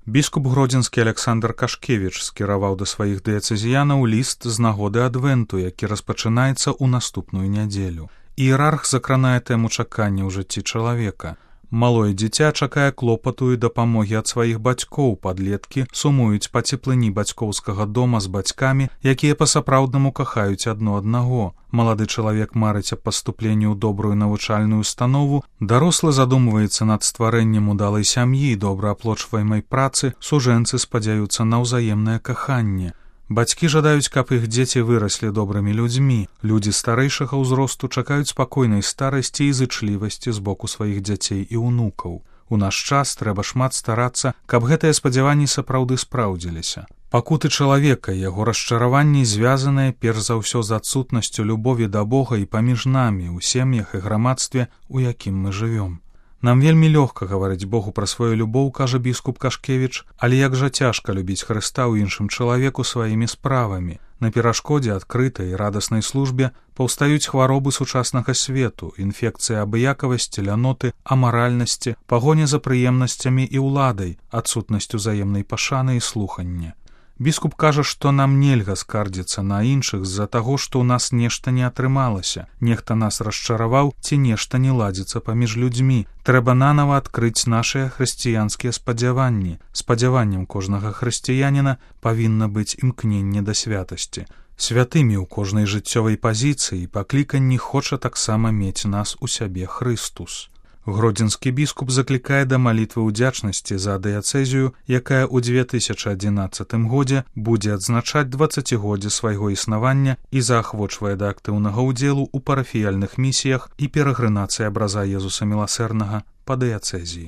Біскуп гродзенскі Александр Кашкевіч скіраваў да сваіх дыяцэзіянаў ліст з нагоды адвенту, які распачынаецца ў наступную нядзелю. Іерарх закранае тэму чакання ў жыцці чалавека. Малое дзіця чакае клопату і дапамогі ад сваіх бацькоў, падлеткі сумуюць па цеплыні бацькоўскага дома з бацькамі, якія па-сапраўднаму кахаюць адно аднаго. Малады чалавек марыць аб паступленні ў добрую навучальную установу, дарослы задумваецца над стварэннем удалай сям'і, добрааплочваемай працы, сужэнцы спадзяюцца на ўзаемнае каханне. Бацькі жадаюць, каб іх дзеці выраслі добрымі людзьмі. Людзі старэйшага ўзросту чакаюць спакойнай старасці і зычлівасці з боку сваіх дзяцей і ўнукаў. У наш час трэба шмат старацца, каб гэтыя спадзяванні сапраўды спраўдзіліся. Пакуты чалавека, яго расчараванні звязаныя перш за ўсё з адсутнасцю любові да Бога і паміж намі, у сем'ях і грамадстве, у якім мы жывём. Нам вельмі лёгка гаварыць Богу пра сваю любоў, кажа біскуп Кашкевіч, але як жа цяжка любіць Хрыста ў іншым чалавеку сваімі справамі. На перашкодзе адкрытай і радаснай службе паўстаюць хваробы сучаснага свету, інфекцыя абыякавасці, ляноты, амаральнасці, пагоня за прыемнасцямі і ўладай, адсутнасць узаемнай пашаны і слухання. Біскуп кажа, што нам нельга скардзіцца на іншых з-за таго, што ў нас нешта не атрымалася, нехта нас расчараваў ці нешта не ладзіцца паміж людзьмі. Трэба нанава адкрыць нашыя хрысціянскія спадзяванні. Спадзяваннем кожнага хрысціяніна павінна быць імкненне да святасці. Святымі ў кожнай жыццёвай пазіцыі і пакліканні хоча таксама мець нас у сябе Хрыстус. Гродзенскі біскуп заклікае да малітвы ўдзячнасці за дыяцэзію, якая ў 2011 годзе будзе адзначаць 20годдзе свайго існавання і заахвочвае да актыўнага ўдзелу ў парафіяльных місіях і перагрынацыі абраза Езуса Міласэрнага па дыяцэзіі.